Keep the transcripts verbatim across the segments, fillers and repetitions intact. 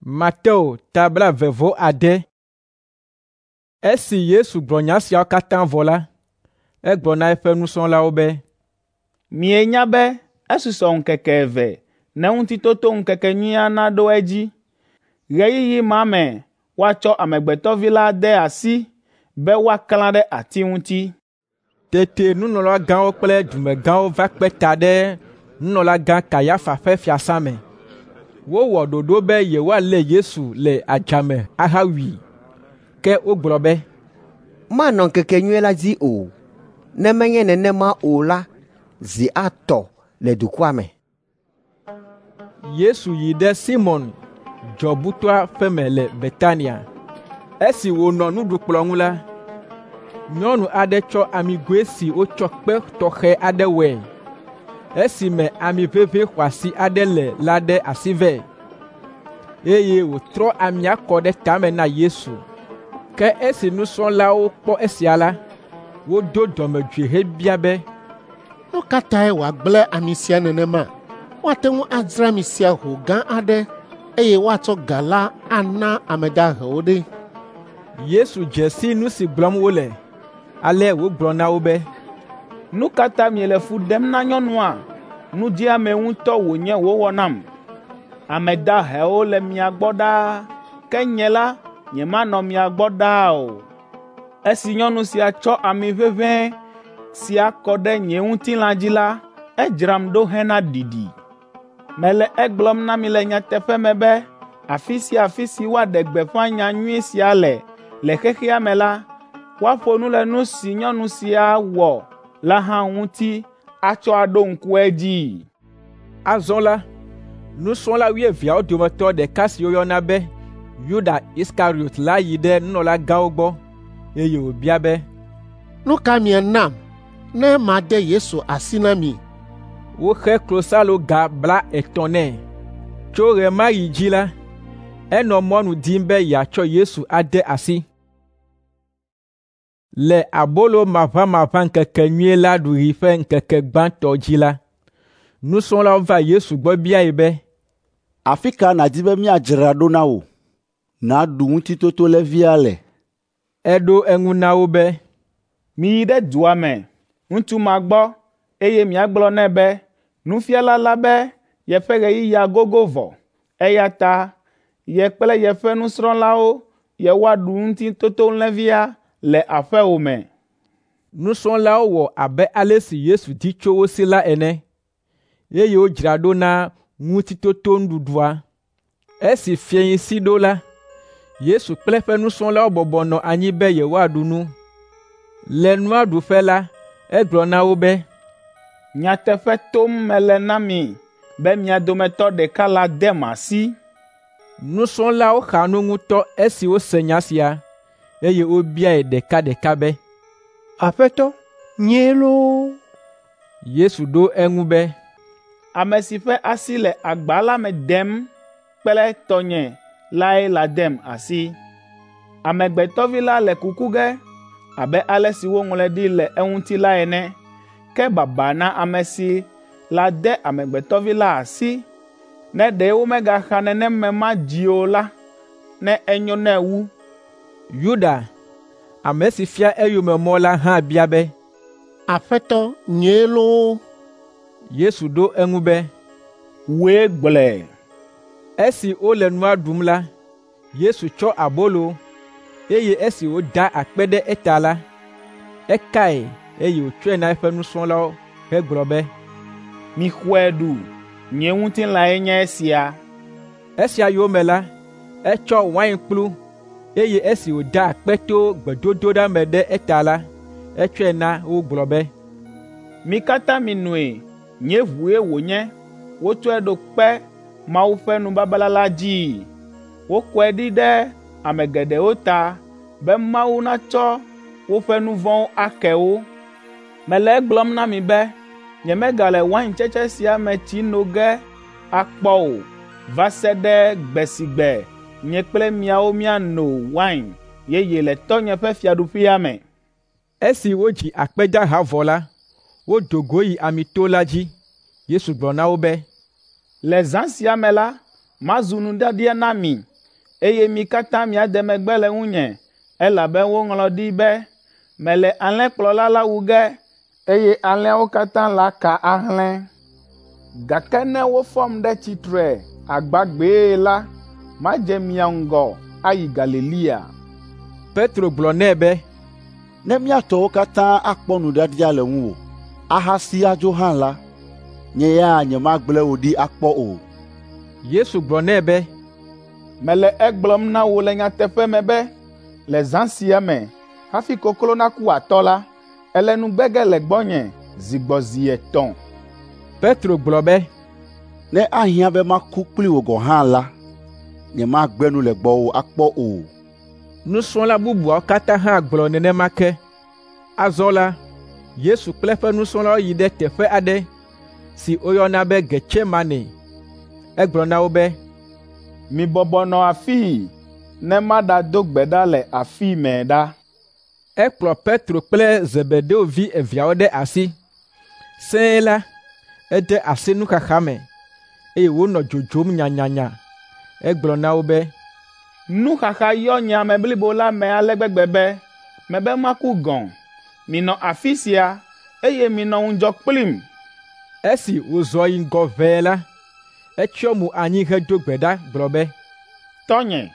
Mateo ta blaeve-vɔ-ade. Esi Yesu gblɔ nya siawo katã vɔ la, egblɔ na eƒe nusrɔ̃lawo be, “Mienya be esusɔ ŋkeke eve ne Ŋutitotoŋkekenyuia naɖo edzi. Ɣeyiɣi ma me woatsɔ Amegbetɔ Vi la de asi be woaklã ɖe ati ŋuti.” Tete nunɔlagãwo kple dumegãwo va kpe ta ɖe nunɔlagã Kayafa ƒe fiasã me. Wowɔ ɖoɖo be yewoalé Yesu le adzame ahawui. Ke wogblɔ be, “Manɔ ŋkekenyui la dzi o. Ne menye nenema o la, zi atɔ le dukɔa me.” Yesu yi ɖe Simɔn dzɔbutɔa ƒe me le Betania. Esi wònɔ nuɖukplɔ̃ ŋu la, nyɔnu aɖe tsɔ amigoe si wotsɔ kpe tɔxɛ aɖe wɔe, esi me ami ʋeʋĩ xɔasi aɖe le la ɖe asi vɛ, eye wòtrɔ amia kɔ ɖe tame na Yesu. Ke esi nusrɔ̃lawo kpɔ esia la, wodo dɔmedzoe hebia be, “Nu ka tae wòagblẽ ami sia nenema? Woate ŋu adzra ami sia ho gã aɖe, eye woatsɔ ga la ana ame dahewo ɖe!” Yesu dze si nu si gblɔm wole, ale wògblɔ na wo be, “Nu ka ta miele fu ɖem na nyɔnua? Nu dzeame ŋutɔ wònye wòwɔ nam. Ame dahewo le mia gbɔ ɖaa, ke nye la, nyemanɔ mia gbɔ ɖaa o. Esi nyɔnu sia tsɔ ami ʋeʋẽe sia kɔ ɖe nye ŋutilã dzi la, edzram ɖo hena ɖiɖi. Mele egblɔm na mi le nyateƒe me be afi sia afi si woaɖe gbeƒã nyanyui sia le le xexea me la, woaƒo nu le nu si nyɔnu sia wɔ la hã ŋuti atsɔ aɖo ŋku edzii.” Azɔ la, nusrɔ̃la wuieveawo dometɔ ɖeka si woyɔna be Yuda Iskariɔt la yi ɖe nunɔlagãwo gbɔ, eye wòbia be, “Nu ka mianam ne made Yesu asi na mi?” Woxe klosaloga blaetɔ̃ nɛ. Tso ɣe ma ɣi dzi la, enɔ mɔnu dim be yeatsɔ Yesu ade asi. Le abolo maʋamaʋã ŋkekenyui la ɖuɣi ƒe ŋkeke gbãtɔ dzi la, nusrɔ̃lawo va Yesu gbɔ biae be, “Afi ka nàdi be míadzra ɖo na wò, nàɖu Ŋutitotolẽvia le?” Eɖo eŋu na wo be, “Miyi ɖe dua me, ŋutsu ma gbɔ, eye miagblɔ nɛ be, ‘Nufiala la be yeƒe ɣeyiɣia gogo vɔ, eya ta ye kple yeƒe nusrɔ̃lawo yewoaɖu Ŋutitotolẽvia le aƒewò me.’” Nusrɔ̃lawo wɔ abe ale si Yesu di tso wo si la ene, eye wodzra ɖo na Ŋutitotonuɖuɖua. Esi fiẽsi ɖo la, Yesu kple eƒe nusrɔ̃lawo bɔbɔ nɔ anyi be yewoaɖu nu. Le nua ɖuƒe la, egblɔ na wo be, “Nyateƒe tom mele na mi be mia dometɔ ɖeka la dem asi.” Nusrɔ̃lawo xa nu ŋutɔ esi wose nya sia, eye wobiae ɖekaɖeka be, “Aƒetɔ, nyee loo?” Yesu ɖo eŋu be, “Ame si ƒe asi le agba la me dem kple tɔnye lae ladem asi. Amegbetɔ Vi la le kuku ge abe ale si woŋlɔe ɖi le eŋuti la ene. Ke baba na ame si lade Amegbetɔ Vi la asi. Ne ɖe womegaxa nenem ame ma dzi o la, ne enyo nɛ wu.” Yuda, ame si fia eyome mɔ la hã bia be, “Aƒetɔ, nyee loo?” Yesu ɖo eŋu be, “Wòe gblɔe.” Esi wole nua ɖum la, Yesu tsɔ abolo, eye esi wòda akpe ɖe eta la, ekae eye wòtsɔe na eƒe nusrɔ̃lawo hegblɔ be, “Mixɔe ɖu, nye ŋutilãe nye esia.” Esia yome la, etsɔ wainkplu, eye esi wòda akpe to gbedodoɖa me ɖe eta la, etsɔe na wo gblɔ be, “Mi katã minoe, nye ʋue wònye, wotsɔe ɖo kpe Mawu ƒe nubabla la dzii. Wokɔe ɖi ɖe ame geɖewo ta be Mawu natsɔ woƒe nu vɔ̃wo ake wo. Mele egblɔm na mi be nyemegale waintsetse sia me tsi no ge akpɔ o va se ɖe gbe si gbe nye kple miawo míano wain yeye le Tɔ́nye ƒe fiaɖuƒea me.” Esi wodzi akpedaha vɔ la, wodo go yi Amito la dzi. Yesu gblɔ na wo be, “Le zã sia me la, mazu nuɖiaɖia na mi eye mi katã miade megbe le ŋunye, elabe woŋlɔ ɖi be, ‘Mele alẽkplɔla la wu ge, eye alẽawo katã laka ahlẽ.’ Gake ne wofɔm ɖe tsitre agbagbee la, madze mia ŋgɔ ayi Galilea.” Petro gblɔ nɛ be, “Ne mía tɔwo katã akpɔ nuɖiaɖia le ŋuwò, ahasi adzo hã la, nye ya nyemagblẽ wò ɖi akpɔ o.” Yesu gblɔ nɛ be, “Mele egblɔm na wò le nyateƒe me be, le zã sia me, hafi koklo naku atɔ la, èle nu gbe ge le gbɔnye zi gbɔ zi etɔ̃.” Petro gblɔ be, “Ne ahiã be maku kpli wò gɔ̃ hã la, nyemagbe nu le gbɔwò akpɔ o.” Nusrɔ̃la bubuawo katã hã gblɔ nenema ke. Azɔ la, Yesu kple eƒe nusrɔ̃lawo yi ɖe teƒe aɖe si woyɔna be Getsemane. Egblɔ na wo be, “Mibɔbɔ nɔ afii ne maɖado gbe ɖa le afi mɛ ɖa.” Ekplɔ Petro kple Zebedeo vi eveawo ɖe asi. Sẽe la, ede asi nuxaxa me, eye wònɔ dzodzom nyanyanya. Egblɔ na wo be, “Nuxaxa yɔ nye ame blibo la me ale gbegbe be mebe maku gɔ̃. Minɔ afi sia, eye minɔ ŋudzɔ kplim.” Esi wòzɔ yi ŋgɔ ʋɛe la, etsyɔ mo anyi hedo gbe ɖa gblɔ be, “Tɔ́nye,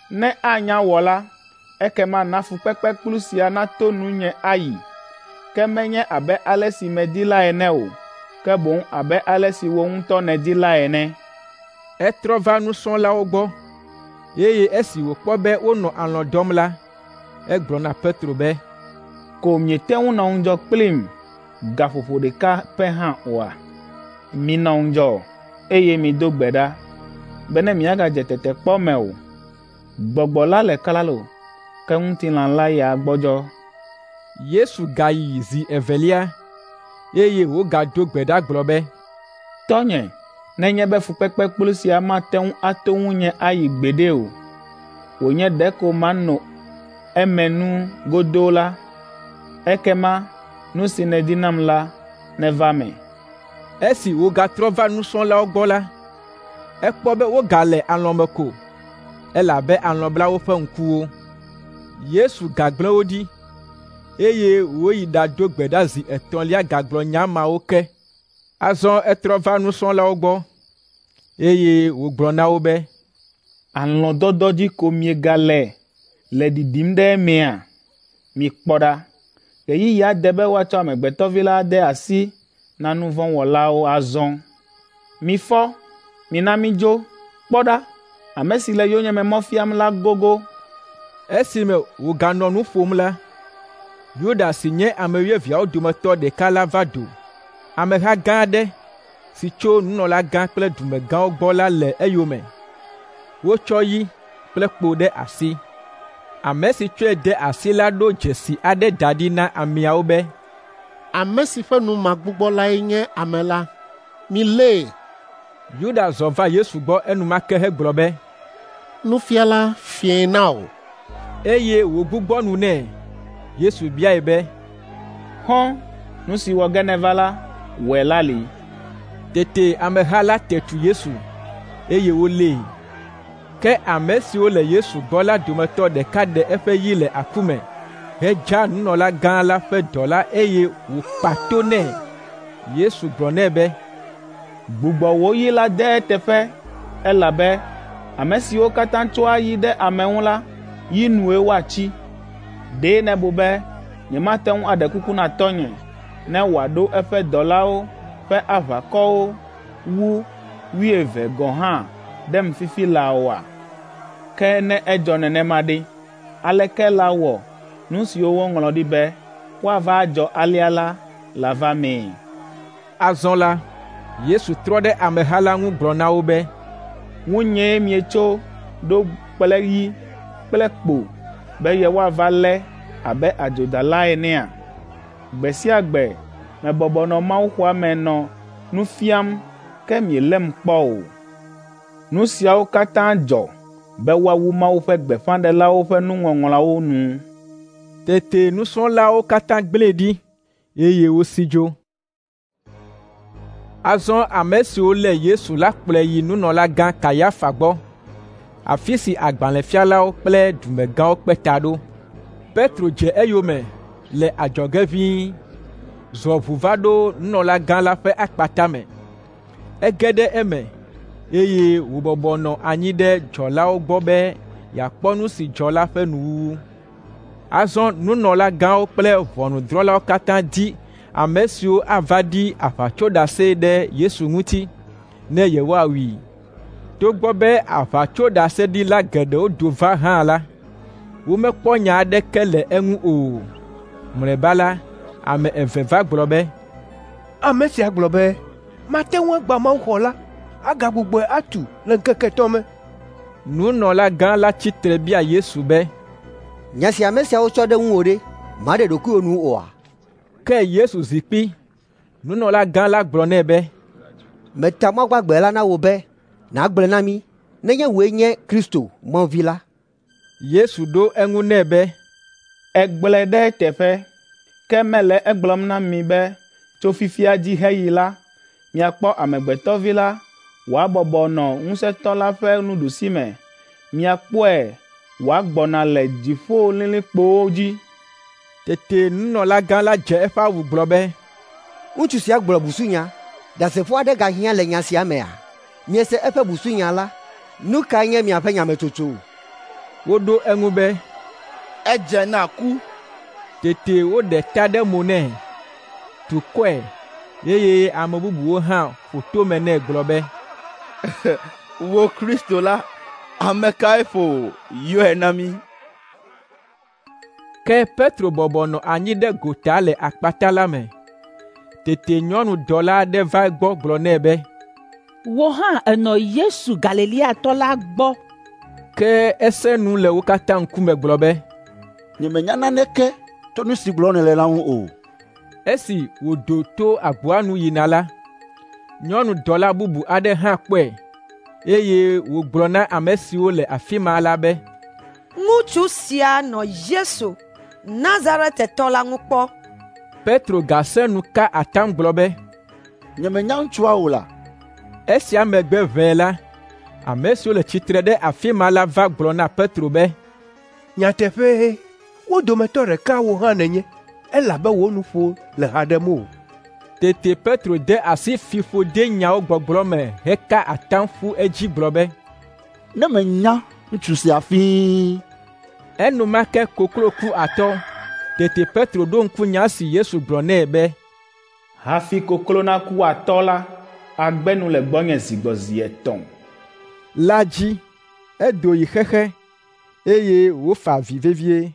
ne anya wɔ la, ekema na fukpekpekplu sia nato nunye ayi. Ke menye abe ale si medi la ene o, ke boŋ abe ale si wò ŋutɔ nèdi la ene.” Etrɔ va nusrɔ̃lawo gbɔ, eye esi wòkpɔ be wonɔ alɔ̃ dɔm la, egblɔ na Petro be, “Ko miete ŋu nɔ ŋudzɔ kplim gaƒoƒo ɖeka pɛ hã oa? Minɔ ŋudzɔ, eye mido gbe ɖa, bene miagadze tetekpɔ me o. Gbɔgbɔ la le klalo, ke ŋutilã la ya gbɔdzɔ.” Yesu gayi zi evelia, eye wògado gbe ɖa gblɔ be, “Tɔ́nye, nenye be fukpekpekplu sia mate ŋu ato ŋunye ayi gbeɖe o, wònye ɖeko mano eme nu godoo la, ekema nu si nèdi nam la neva eme.” Esi wògatrɔ va nusrɔ̃lawo gbɔ la, ekpɔ be wogale alɔ̃ me ko, elabe alɔ̃ bla woƒe ŋkuwo. Yesu gagblẽ wo ɖi, eye wòyi ɖado gbe ɖa zi etɔ̃lia gagblɔ nya mawo ke. Azɔ etrɔ va nusrɔ̃lawo gbɔ, eye wògblɔ na wo be, “Alɔ̃dɔdɔ dzi ko miegale le ɖiɖim ɖe emea? Mikpɔ ɖa, ɣeyiɣia de be woatsɔ Amegbetɔ Vi la ade asi na nu vɔ̃ wɔlawo azɔ. Mifɔ, mina mídzo. Kpɔ ɖa, ame si le yonyeme mɔ fiam la gogo.” Esime wòganɔ nu ƒom la, Yuda si nye ame wuieveawo dometɔ ɖeka la va do. Ameha gã aɖe si tso nunɔlagã kple dumegãwo gbɔ la le eyome. Wotsɔ yi kple kpo ɖe asi. Ame si tsɔe de asi la ɖo dzesi aɖe da ɖi na ameawo be, “Ame si ƒe nu magbugbɔ lae nye ame la. Milée!” Yuda zɔ va Yesu gbɔ enumake hegblɔ be, “Nufiala, fiẽ na wò!” Eye wògbugbɔ nu nɛ. Yesu biae be, “Xɔ̃, nu si wɔ ge nèva la, wɔe lali.” Tete ameha la te tu Yesu, eye wolée. Ke ame siwo le Yesu gbɔ la dometɔ ɖeka ɖe eƒe yi le aku me hedza nunɔlagã la ƒe dɔla eye wòkpa to nɛ. Yesu gblɔ nɛ be, “Gbugbɔ wò yi la de eteƒe, elabe ame siwo katã tsɔa yi ɖe ame ŋu la, yi nue woatsi. Ɖe nèbu be nyemate ŋu aɖe kuku na Tɔ́nye ne wòaɖo eƒe dɔlawo ƒe aʋakɔwo wu wuieve gɔ̃ hã ɖem fifi laa oa? Ke ne edzɔ nenema ɖe, aleke lawɔ nu siwo woŋlɔ ɖi be woava adzɔ alea la lava mee?” Azɔ la, Yesu trɔ ɖe ameha la ŋu gblɔ na wo be, “Ŋunyee mietso ɖo kple yi kple kpo be yewoava lé abe adzodala enea? Gbe sia gbe mebɔbɔ nɔ mawuxɔa me nɔ nu fiam ke mielém kpɔ o. Nu siawo katã dzɔ be woawu Mawu ƒe gbeƒãɖelawo ƒe nuŋɔŋlɔawo nu.” Tete nusrɔ̃lawo katã gblẽe ɖi, eye wosi dzo. Azɔ ame siwo lé Yesu la kplɔe yi nunɔlagã Kayafa gbɔ. afi si agbalẽfialawo kple dumegãwo kpe ta ɖo. Petro dze eyome le adzɔge ʋĩi, zɔ ʋu va ɖo nunɔlagã la ƒe akpata me. Ege ɖe eme, eye wòbɔbɔ nɔ anyi ɖe dzɔlawo gbɔ be yeakpɔ nu si dzɔ la ƒe nuwuwu. Azɔ nunɔlagãwo kple ʋɔnudrɔ̃lawo katã di ame siwo ava ɖi aʋatsoɖase ɖe Yesu ŋuti ne yewoawui. Togbɔ be aʋatsoɖaseɖila geɖewo do va hã la, womekpɔ nya aɖeke le eŋu o. Mlɔeba la, ame eve va gblɔ be, “Ame sia gblɔ be, ‘Mate ŋu agbã mawuxɔ la, agagbugbɔe atu le ŋkeke etɔ̃ me.’ ” Nunɔlagã la tsi tre bia Yesu be, “Nya si ame siawo tsɔ ɖe ŋuwò ɖe, màɖe ɖokuiwò nu oa?” Ke Yesu zi kpi. Nunɔlagã la gblɔ nɛ be, “Meta Mawu gbagbe la na wò be nàgblɔe na mí nenye wòe nye Kristo, Mawu Vi la.” Yesu ɖo eŋu nɛ be, “Ègblɔe ɖe eteƒe, ke mele egblɔm na mi be tso fifia dzi heyi la, miakpɔ Amegbetɔ Vi la wòabɔbɔ nɔ Ŋusẽtɔ la ƒe nuɖusime. Miakpɔe wòagbɔna le dziƒolilikpowo dzi.” Tete nunɔlagã la dze eƒe awu gblɔ be, “Ŋutsu sia gblɔ busunya. Ɖasefo aɖe gahiã le nya sia mea? Miese eƒe busunya la. Nu kae nye miaƒe nyametsotso?” Woɖo eŋu be, “Edze na ku.” Tete woɖe ta ɖe mo nɛ, tu kɔe, eye ame bubuwo hã ƒo tome nɛ gblɔ be, “Wò Kristo la, ame kae ƒo wò? Yɔe na mí.” Ke Petro bɔbɔ nɔ anyi ɖe gota le akpata la me. Tete nyɔnudɔla aɖe va egbɔ gblɔ nɛ be, “Wò hã ènɔ Yesu Galileatɔ la gbɔ.” Ke esẽ nu le wo katã ŋkume gblɔ be, “Nyemenya naneke tso nu si gblɔm nèle la ŋu o.” Esi wòdo to agboa nu yina la, nyɔnudɔla bubu aɖe hã kpɔe, eye wògblɔ na ame siwo le afi ma la be, “Ŋutsu sia nɔ Yesu, Nazaretetɔ la ŋu kpɔ.” Petro gasẽ nu ka atam gblɔ be, “Nyemenya ŋutsua o la.” Esia megbe ʋɛe la, ame siwo le tsitre ɖe afi ma la va gblɔ na Petro be, “Nyateƒee, wo dometɔ ɖeka wò hã nènye, elabe wò nuƒo le ha ɖem wò.” Tete Petro de asi fiƒodenyawo gbɔgblɔ me heka atam ƒu edzi gblɔ be, “Ne menya ŋutsu sia fĩi!” Enumake koklo ku atɔ. Tete Petro ɖo ŋku nya si Yesu gblɔ nɛ be, “Hafi koklo naku atɔ la, àgbe nu le gbɔnye zi gbɔ zi etɔ̃.” la dzi. Edo yi xexe, eye wòfa avi vevie.